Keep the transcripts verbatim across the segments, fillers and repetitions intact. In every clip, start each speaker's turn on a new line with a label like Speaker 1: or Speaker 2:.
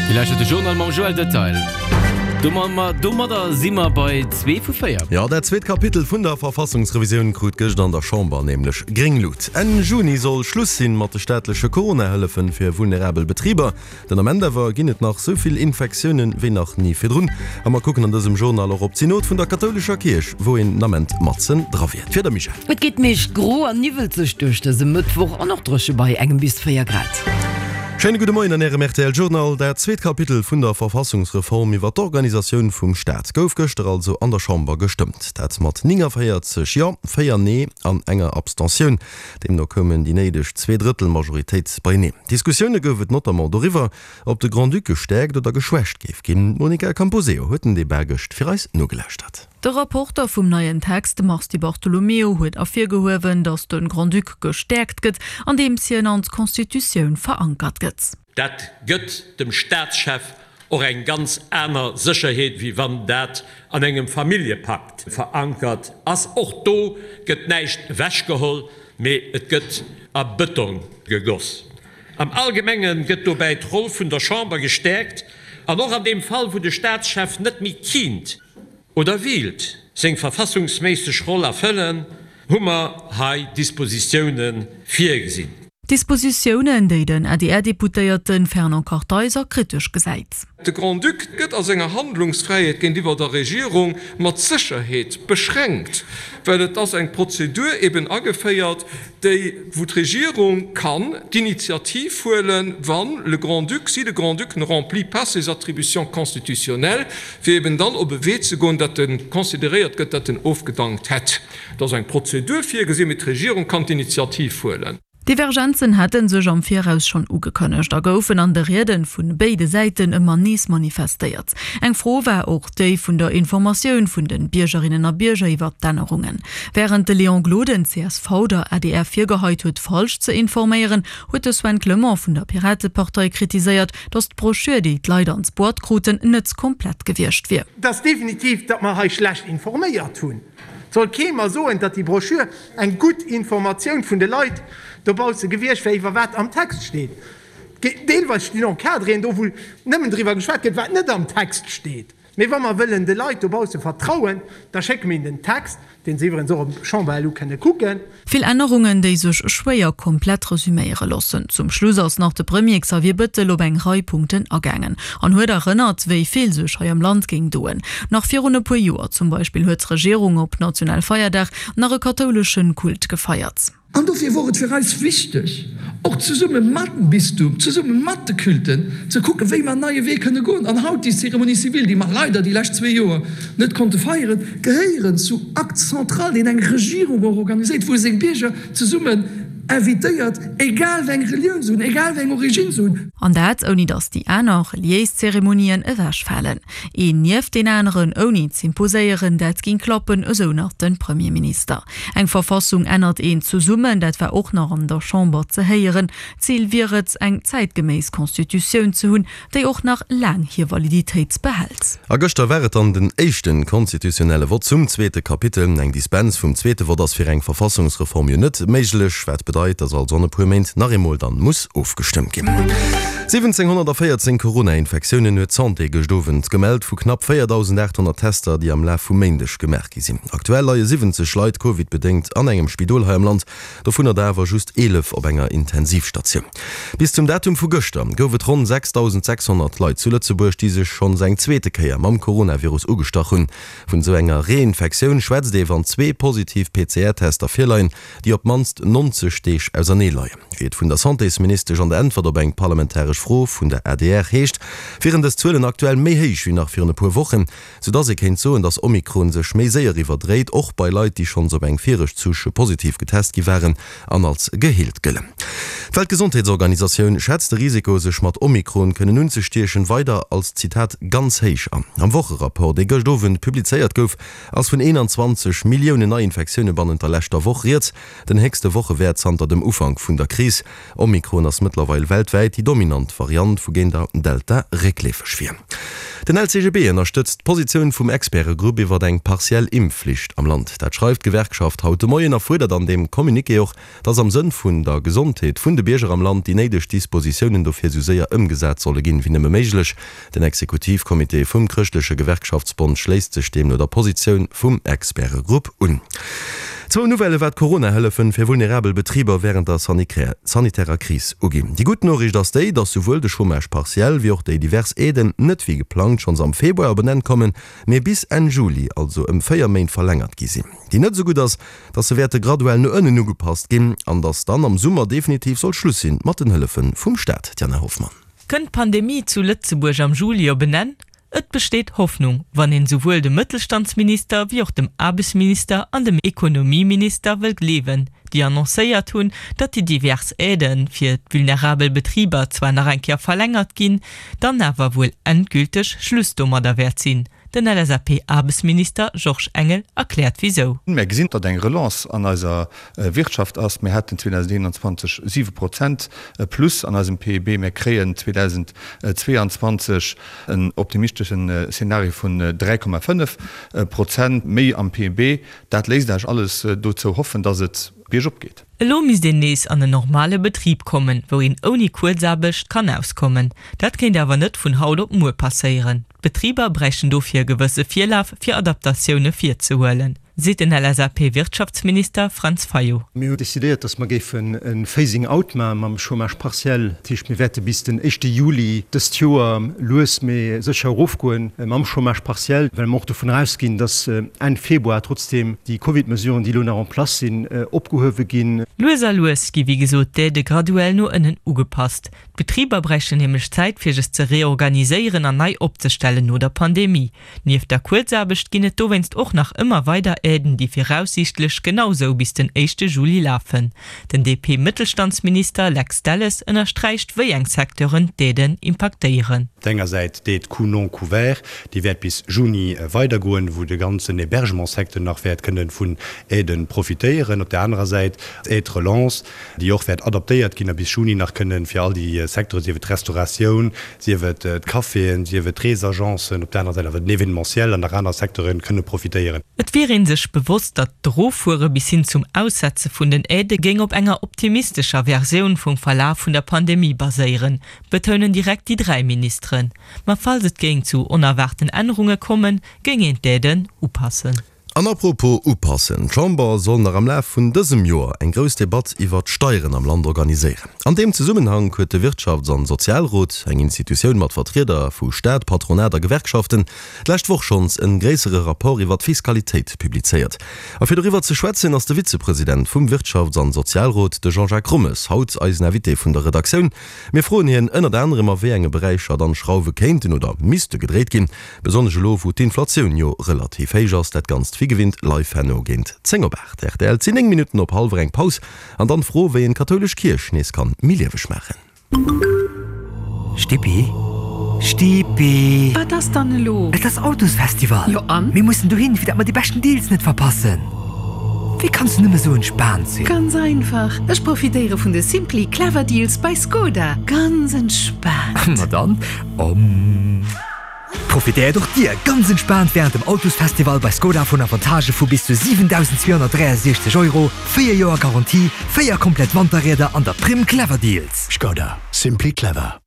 Speaker 1: Dir lauschtert de Journal mam Joël Detail. Domadder si mer bei zwee vu véier.
Speaker 2: Jo, dat zweet Kapitel vun der Verfassungsrevisioun krut gëscht an der Chamber nämlech gréng Lut. Enn Juni soll Schluss sinn mat de staatleche Corona-Hëllefen fir vulnerabel Betriber. Den Ament awer ginn et nach sou vill Infektiounen wéi nach ni virdrun. A mer kucken an dësem Journal och op d'Synod vun der kathoulescher Kierch, wou een den Ament matzen dra wier. D'Wieder, Michèle?
Speaker 3: Et geet meescht gro an niwwelzeg duerch dëse Mëttwoch an och dréche bei engem bis véier Grad.
Speaker 2: Schéine gudde Moien an Ärem rtl Journal. Dat zweet Kapitel vun der Verfassungsreform iwwer d'Organisatioun vum Staat gouf gëschter also an der Chamber gestëmmt. Dat mat néngavéierzeg Jo, véier Nee an enger Abstentioun. Deemno koumen déi néideg Zwee-Drëttel-Majoritéit beieneen. Diskussioune gouf et notamment doriwwer, ob de Grand-Duc gestäerkt oder geschwächt géif ginn. D'Monica Camposeo huet den Debat gëscht fir eis nogelauschtert.
Speaker 4: De Rapporter vum neien Text, de Mars Di Bartolomeo, huet ervirgehuewen, datt de Grand-Duc gestäerkt gëtt, andeems hien an d'Constitutioun verankert gëtt.
Speaker 5: Dat gëtt dem Staatschef och eng ganz aner Sécherheet, wéi wann dat an engem Familljepakt verankert ass. Och do gëtt näischt ewechgeholl, mee et gëtt a Bëtong gegoss. Am Allgemenge gëtt dobäi d'Roll vun der Chamber gestäerkt an och an deem Fall, wou de Staatschef net méi kinnt oder wíilt seng verfassungsméisseg Roll erfëllen, hu mer hei Dispositioune virgesinn.
Speaker 4: Dispositiounen, déi den A D R-Deputéierte Fernand Kartheiser kritesch gesäit.
Speaker 6: De Grand-Duc gëtt a senger Handlungsfräiheet géintiwwer der Regierung mat Sécherheet beschränkt, well et ass eng Prozedur eben ageféiert, déi, wou d'Regierung kann d'Initiativ huelen, wann le Grand-Duc, si le Grand-Duc ne remplit pas ses attributions constitutionnelles, fir eben dann op e Wee ze goen, datt e consideréiert gëtt, datt en ofgedankt hätt. Et ass eng Prozedur virgesinn, mee d'Regierung kann d'Initiativ huelen.
Speaker 4: Divergenzen hätte sech am Viraus schonn ugekënnegt a goufen an de Rieden vu béide Säiten ëmmer nees manifestéiert. Eng Fro war och déi vun der Informatioun vun de Biergerinnen a Bierger iwwer d'Ännerungen. Wärend de Léon Gloden, C S V, der A D R virgeheit huet, falsch ze informéieren, huet de Sven Clement vun der Piratepartei kritiséiert, datt d'Broschür, déi d'Leit an d'Boîte kruten, net komplett gewiescht wier.
Speaker 7: Et ass definitiv, datt mer hei schlecht informéiert hunn. Et soll kee mer soen, datt déi Broschür eng gutt Informatioun vun de Leit dobausse gewiescht wär, iwwer wat am Text steet. Deelweis stinn Encadréen do, wou nëmmen driwwer geschwat gëtt, wat net am Text steet. Mee wa mer wëllen de Leit dobausse vertrauen, da schécke mir hinnen den Text, deen se iwwerens och op Chamber punkt lu kënne kucken.
Speaker 4: Vill Ännerungen, déi sech schwéier komplett resuméiere loossen. Zum Schluss ass nach de Premier Xavier Bëttel op eng Rei Punkten agaangen an huet erënnert, wéi vill sech hei am Land géing doen. Nach virun e puer Joer zum Beispill huet d'Regierung op Nationalfeierdag nach e kathoulesche Kult gefeiert.
Speaker 8: An dofir wor et fir eis wichteg, och zesumme mat dem Bistum, zesumme mat de Culten, ze kucken, wéi mer en neie Wee kënne goen. An haut déi Cérémonie civile, déi mer leider déi lescht zwee Joer net konnte feieren, gehéieren zu Acte central, deen eng Regierung och organiséiert, wou e seng Bierger zesummen invitéiert, egal wéi eng Relioun se hunn, egal wéi eng Origine se hunn.
Speaker 4: An dat, ouni datt déi aner reliéis Zeremonien ewechfalen. Een nieft deen aneren, ouni z'imposéieren, dat géing klappen, esou nach de Premierminister. Eng Verfassung ännert een zesummen, dat war och nach an der Chamber ze héieren. Zil wier et, eng zäitgeméiss Constitutioun ze hunn, déi och nach laang hir Validitéit behält.
Speaker 2: A gëschter war et dann den éischte konstitutionelle Vott zum zweete Kapitel. Eng Dispens vum zweete Vott ass fir eng Verfassungsreform jo net méiglech, wat bedeit, datt also an e puer Méint nach eemol dann muss ofgestëmmt ginn. siwwenzénghonnertvéierzéng Corona-Infektiounen huet d'Santé gëscht Owend gemellt, vu knapp véierdausendaathonnert Tester, déi am Laf vum Méindeg gemaach gi sinn. Aktuell leie siwwenzeg Leit Covid-bedéngt an engem Spidol hei am Land, dovunner der awer just eelef op enger Intensivstatioun. Bis zum Datum vu gëschter gouf et ronn sechsdausendsechshonnert Leit zu Lëtzebuerg, déi sech schonns eng zweete Kéier mam Coronavirus ugestach hunn. Vun esou enger Reinfektioun schwätzt ee wann zwee positiv P C R-Tester virleien, déi op d'mannst nonzeg Deeg ausernee leien. Wéi et vun der Santésministesch an der Äntwert op eng parlamentaresch Fro vun der A D R heescht, wieren dës Zuelen aktuell méi héich wéi nach virun e puer Wochen, soudass ee kéint soen, dass Omikron sech méi séier iwwerdréit, och bei Leit, déi schonns op eng viregt Souche positiv getest gi waren an als geheelt gëllen. D'Weltgesondheetsorganisatioun schätzt de Risiko, sech mat Omikron kënnen unzestiechen, weider als, Zitat, ganz héich an. Am Wocherapport, dee gëscht Owend publizéiert gouf, ass vun eenanzwanzeg Milliounen Neiinfektioune bannent der leschter Woch rieds, den héchste Wochewäert zanter dem Ufank vun der Kris. Omikron ass mëttlerweil weltwäit déi dominant wann d'Variant wougéint der Delta réckleefeg wier. Den L C G B ënnerstëtzt d'Positioun vum Expertegrupp iwwer eng partiell Impfflicht am Land. Dat schreift d'Gewerkschaft haut de Moien a fuerdert an deem Communiqué och, dass am Sënn vun der Gesondheet vun de Bierger am Land déi néideg Dispositiounen dofir sou séier ëmgesat solle ginn, wéi nëmme méiglech. Den Exekutivcomité vum chrëschtleche Gewerkschaftsbond schléisst sech deemno der Positioun vum Expertegrupp un. Zwou Nouvellë wat d'Corona-Hëllefen fir vulnerabel Betriber wärend der sanitärer Kris uginn. Déi gutt Noriicht ass déi, dass souwuel de Chômage partiel wéi och déi divers Aiden net wéi geplangt schonns am Februar op en Enn kommen, mee bis Enn Juli, also ëm véier Méint verlängert gi sinn. Déi net esou gutt ass, dass se wäerte graduell no ënnen ugepasst ginn an dass dann am Summer definitiv soll Schluss sinn mat den Hëllefe vum Staat. D'Jana Hoffmann.
Speaker 9: Kënnt d'Pandemie zu Lëtzebuerg am Juli op en Enn? Et besteet Hoffnung, wann een souwuel dem Mëttelstandsminister wéi och dem Aarbechtsminister an dem Ekonomieminister wëll gleewen, déi annoncéiert hunn, datt déi divers Aidë fir d'vulnerabel Betriber zwar nach eng Kéier verlängert ginn, dann awer wuel endgülteg Schluss domadder wäert sinn. Den L S A P-Aarbechtsminister Georges Engel erkläert wisou.
Speaker 10: Mir gesinn, datt eng Relance an eiser Wirtschaft ass. Mir haten zweedausendeenanzwanzeg siwe Prozent plus an eisem P I B. Mir kréien zweedausendzweeanzwanzeg en optimisteschen Szenario vun dräi Komma fënnef Prozent méi am P I B. Dat léisst eis alles dozou hoffen, datt et biergop geet.
Speaker 9: Elo misst een nees an en normale Betrib kommen, wou een ouni Kuerzaarbecht kann auskommen. Dat kéint awer net vun haut op muer passéieren. D'Betriber bräichten dofir e gewësse Virlaf, fir Adaptatioune virzehuelen, seet den L S A P-Wirtschaftsminister Franz Fayot.
Speaker 11: Mir hunn decidéiert, datt mer géifen e Phasing out maache mam Chômage partiel. Dat heescht, mir wäerte bis den éischte Juli dëst Joer lues mee sécher erofgoen mam Chômage partiel, well mer och dovun ausginn, datt Enn Februar trotzdeem déi Covid-Mesuren, déi elo nach en place sinn, opgehuewe ginn.
Speaker 9: Lues a lues gi wéi gesot d'Aidë graduell no ënnen ugepasst. D'Betriber bräichten nämlech Zäit fir sech ze reorganiséieren an nei opzestellen no der Pandemie. Nieft der Kuerzaarbecht ginn et dowéinst och nach ëmmer weider Aiden, déi viraussiichtlech genau sou bis den éischte Juli lafen. Den D P-Mëttelstandsminister Lex Delles ënnersträicht, wéi eng Secteuren d'Aiden impaktéieren.
Speaker 12: Op der enger Säit d'Aide coûts non couverts, déi wäert bis Juni weidergoen, wou de ganzen Hébergementssecteur nach wäert kënnen vun Aiden profitéieren. Op der anerer Säit d'Aide relance, déi och wäert adaptéiert ginn a bis Juni nach kënnen fir all déi Secteuren, sief et d'Restauratioun, sief et d'Caféen, sief et d'Reesagencen, op der anerer Säit awer den Événementiel an nach aner Secteuren, kënne profitéieren.
Speaker 9: Et wier ee sech bewosst, datt d'Eroffuere bis hin zum Aussetze vun den Aidë géing op enger optimistescher Versioun vum Verlaf vun der Pandemie baséieren, betounen direkt déi dräi Ministeren. Ma falls et géing zu onerwaarten Ännerunge kommen, géing een d'Aiden upassen.
Speaker 2: An apropos upassen, D'Chamber soll nach am Laf vun dësem Joer eng grouss Debatt iwwer d'Steieren am Land organiséieren. An deem Zesummenhank huet de Wirtschafts an Sozialrot, eng Institutioun mat Vertrieder vu Staat, Patronat a Gewerkschaften, d'lescht Woch schonns e gréissere Rapport iwwer d'Fiskalitéit publizéiert. A fir doriwwer ze schwätzen, ass de Vizepresident vum Wirtschafts an Sozialrot, de Jean-Jacques Rommes, haut eisen Invité vun der Redaktioun. Mir froen hien ënnert anerem, a wéi enge Beräicher dann Schrauwe kéinten oder misste gedréit ginn, besonnesch elo wou d'Inflatioun jo relativ héich ass. Dat Ganzt wéi gewinnt live herno géint zéng op aacht. Rtl, et sinn néng Minutten op hallwer eng. Paus an dann d'Fro, wéi een d'kathoulesch Kierch nees kann méi lieweg maachen.
Speaker 13: Stippi? Stippi!
Speaker 14: Wat ass dann elo?
Speaker 13: Et ass Autosfestival!
Speaker 14: Jo an?
Speaker 13: Mir mussen dohin, fir dat mer déi beschten Deals net verpassen! Wéi kanns du nëmme sou entspaant sinn?
Speaker 14: Ganz einfach, ech profitéiere vun de Simply Clever Deals bei Skoda. Ganz entspaant!
Speaker 13: Ma dann, om! Profitéiert och dir ganz entspaant wärend dem Autosfestival bei Skoda vun Avantagë vu bis zu siwendausendzweehonnertdräiasechzeg Euro, véier Joer Garantie, véier komplett Wanterrieder an der Primm Clever Deals.
Speaker 15: Skoda, simply clever.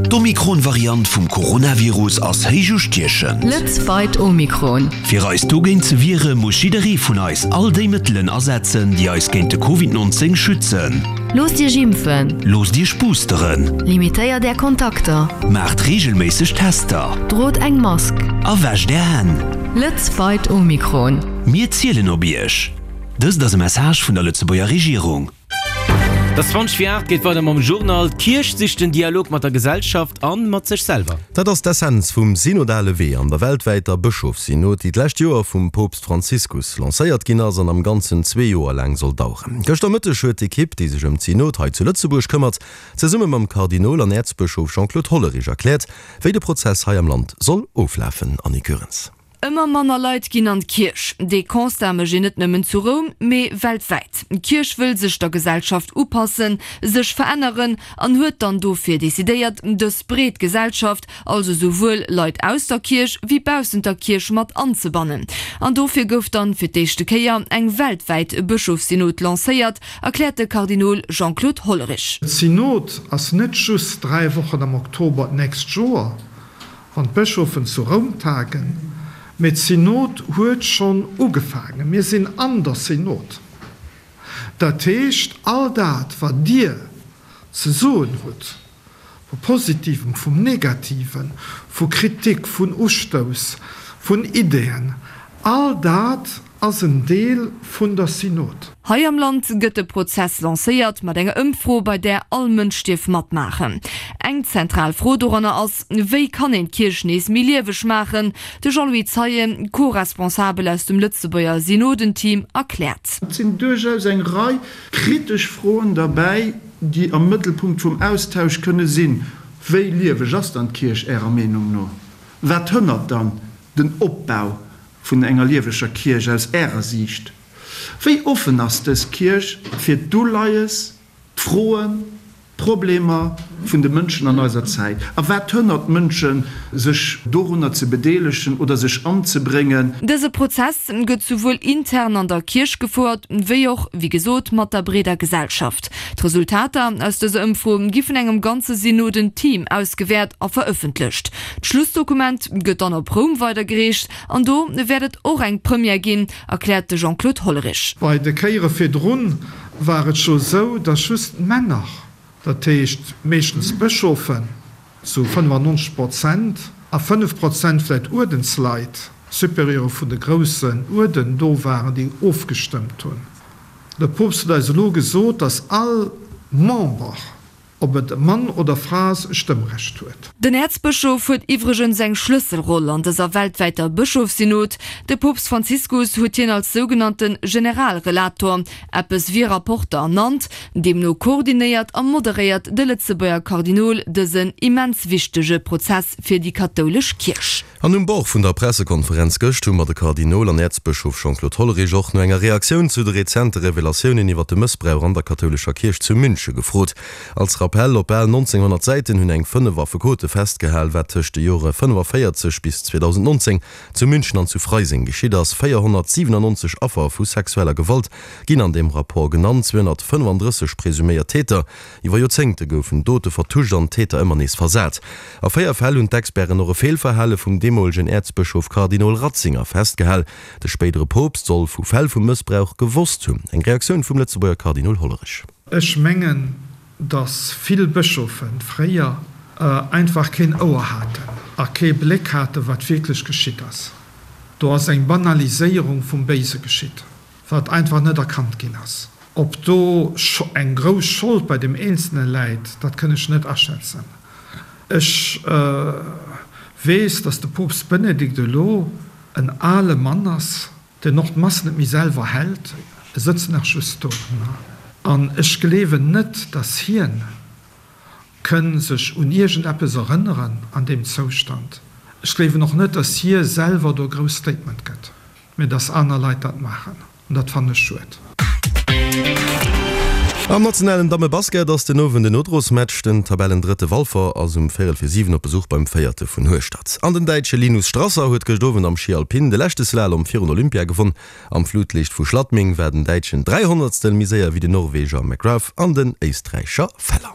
Speaker 15: D'Omikron-Variant vum Coronavirus ass héich ustiechend.
Speaker 16: Let's fight Omikron.
Speaker 15: Fir eis dogéint ze wiere muss jidderee vun eis all déi Mëttelen asetzen, déi eis géint de Covid nonzéng schützen.
Speaker 16: Loosst Iech impfen.
Speaker 15: Loosst Iech boosteren.
Speaker 16: Limitéiert Är Kontakter.
Speaker 15: Maacht reegelméisseg Tester.
Speaker 16: Drot eng Mask.
Speaker 15: A wäscht Är Hänn.
Speaker 16: Let's fight Omikron.
Speaker 15: Mir zielen op Iech. Dëst ass e Message vun der Lëtzebuerger Regierung.
Speaker 1: Et ass zwanzeg vir aacht, geet weider mam Journal. D'Kierch sicht den Dialog mat der Gesellschaft an mat sech selwer.
Speaker 2: Dat ass d'Essenz vum synodale Wee an der weltwäiter Bëschofssynod, déi d'lescht Joer vum Poopst Franziskus lancéiert ginn ass an am Ganzen zwee Joer laang soll daueren. Gëschter Mëtteg huet d'Ekipp, déi sech ëm d'Synod hei zu Lëtzebuerg këmmert, zesumme mam Kardinol an Äerzbëschof Jean-Claude Hollerich erkläert, wéi de Prozess hei am Land soll oflafen. Annie Goerens.
Speaker 17: Ëmmer manner Leit ginn an d'Kierch. Dee Constat mécht een net nëmmen zu Roum, mee weltwäit. D'Kierch wëll sech der Gesellschaft upassen, sech veränneren an huet dann dofir decidéiert, dës breet Gesellschaft, also souwuel Leit aus der Kierch wéi baussent der Kierch mat anzebannen. An dofir gouf dann fir d'éischte Kéier eng weltwäit Bëschofssynod lancéiert, erkläert de Kardinol Jean-Claude Hollerich.
Speaker 18: D'Synod ass net just dräi Wochen am Oktober d'nächst Joer, wann d'Bëschofen zu Roum tagen, mee d'Synod huet schonn ugefaangen. Mir sinn an der Synod. Dat heescht, all dat, wat Dir ze soen hutt, vu Positivem, vum Negativen, vu Kritik, vun Ustouss, vun Ideeën, all dat ass en Deel vun der Synod.
Speaker 17: Hei am Land gëtt de Prozess lancéiert mat enger Ëmfro, bei där all Mënsch dierf matmaachen. Eng zentral Fro doranner ass, Wéi kann een d'Kierch nees méi lieweg maachen? De Jean-Louis Zeien, Co-Responsabel aus dem Lëtzebuerger Synodenteam, erkläert.
Speaker 19: Et sinn duerchaus eng Rei kritesch Froen derbäi, déi am Mëttelpunkt vum Austausch kënne sinn. Wéi lieweg ass dann d'Kierch Ärer Meenung no? Wat hënnert dann den Opbau vun enger lieweger Kierch aus Ärer Siicht? Wéi offen ass dës Kierch fir d'Uleies, d'Froen, d'Problemer vun de Mënschen an eiser Zäit? A wat hënnert d'Mënschen, sech dorunner ze bedeelegen oder sech anzebréngen?
Speaker 17: Dëse Prozess gëtt souwuel intern an der Kierch gefouert, wéi och, wéi gesot, mat der breeder Gesellschaft. D'Resultater aus dëser Ëmfro gi vun engem ganze Synoden-Team ausgewäert a verëffentlecht. D'Schlussdokument gëtt dann op Roum weidergereecht an do wäert et och eng Première ginn, erkläert de Jean-Claude Hollerich.
Speaker 18: Bei de Kéiere virdrun war et scho sou, datt just d'Männer, dat heescht meeschtens Bëschofen, zu fënnefannonzeg Prozent, a fënnef Prozent vläit Uerdensleit, Supérieure vun de groussen Uerden, do waren, déi ofgestëmmt hunn. De Poopst huet eis elo gesot, datt all Member, ob et Mann oder Fra ass, e Stëmmrecht huet.
Speaker 17: Den Äerzbëschof huet iwwregens eng Schlësselroll an dëser weltwäiter Bëschofssynod. De Poopst Franziskus huet hien als sougenannte Generalrelator, eppes wéi Rapporter, ernannt. Deemno koordinéiert a moderéiert de Lëtzebuerger Kardinol dësen immens wichtege Prozess fir déi kathoulesch Kierch.
Speaker 2: An um Bord vun der Pressekonferenz gëscht hu mer de Kardinol an Äerzbëschof Jean-Claude Hollerich och no enger Reaktioun zu de rezente Revelatiounen iwwer de Mëssbrauch an der kathoulescher Kierch zu Münche gefrot. Als Rappell, Op bal nonzénghonnert Säiten hunn eng fënnef Affekote festgehal, wat tëscht de Jore fënnefavéierzeg bis zweedausendnonzéng zu München an zu Freising geschitt ass. véierhonnertsiwenannonzeg Affer vu sexueller Gewalt ginn an deem Rapport genannt, zweehonnertfënnefandrësseg presuméiert Täter. Iwwer Joerzéngte goufen Dote vertuscht an d'Täter ëmmer nees versat. A véier Fäll hunn d'Experten och e Feelverhale vum deemolegen Äerzbëschof Kardinol Ratzinger festgehal. De spéidere Poopst soll vu Fäll vu Mëssbrauch gewosst hunn. Eng Reaktioun vum Lëtzebuerger Kardinol Hollerich.
Speaker 18: Ech mengen, datt vill Bëschofe fréier einfach keen Ouer haten a kee Bléck haten, wat wierklech geschitt ass. Do ass eng Banaliséierung vum Béise geschitt, wat einfach net erkannt ginn ass. Ob do eng grouss Schold bei deem Eenzelne läit, dat kënn ech net aschätzen. Ech weess, datt de Poopst Benedikt elo en ale Mann ass, deen och d'Mass net méi selwer hält, e sëtzt nach just do. An ech gleewen net, datt hien kënn sech un iergendeppes erënneren an deem Zoustand. Ech gleewen och net, datt hie selwer do e grousst Statement gëtt, mä datt aner Leit dat maachen. An dat fannen ech schued.
Speaker 2: Am nationalen Dammebasket ass den Owend en Nodrosmatch. Den Tabellendrëtte Walfer ass um véierel fir siwen op Besuch beim Véierte vun Hueschtert. An den Däitsche Linus Strasser huet gëscht Owend am Schi Alpin de leschte Slalom virun Olympia gewonn. Am Flutliicht vu Schladming war den Däitschen dräi Honnertstel méi séier wéi den Norweger McGrath an den Éisträicher Feller.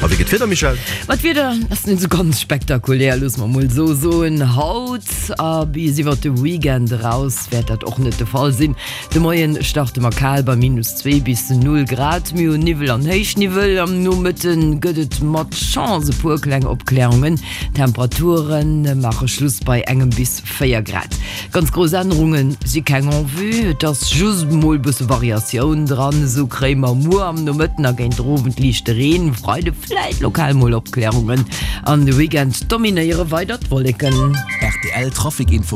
Speaker 2: A wéi gëtt d'Wieder, Michèle?
Speaker 3: Ma d'Wieder ass net esou ganz spektakulär, loosse mer mol esou soen. Haut a bis iwwert de Weekend eraus wäert dat och net de Fall sinn. De Moien starte mer kal bei minus zwee bis null Grad. Mir hunn Niwwel an Héichniwwel. Am Nomëtte gëtt et mat Chance e puer kleng Opklärungen. D'Temperature maache Schluss bei engem bis véier Grad. Ganz grouss Ännerunge si keng en vue, et ass just mol bësse Variatioun dran. Esou kréie mer muer am Nomëtten a géint den Owend liichte Reen, Freide vläit lokal mol Opklärungen an de Weekend dominéiere weider d'Wolleken.
Speaker 20: Rtl Trafic Info.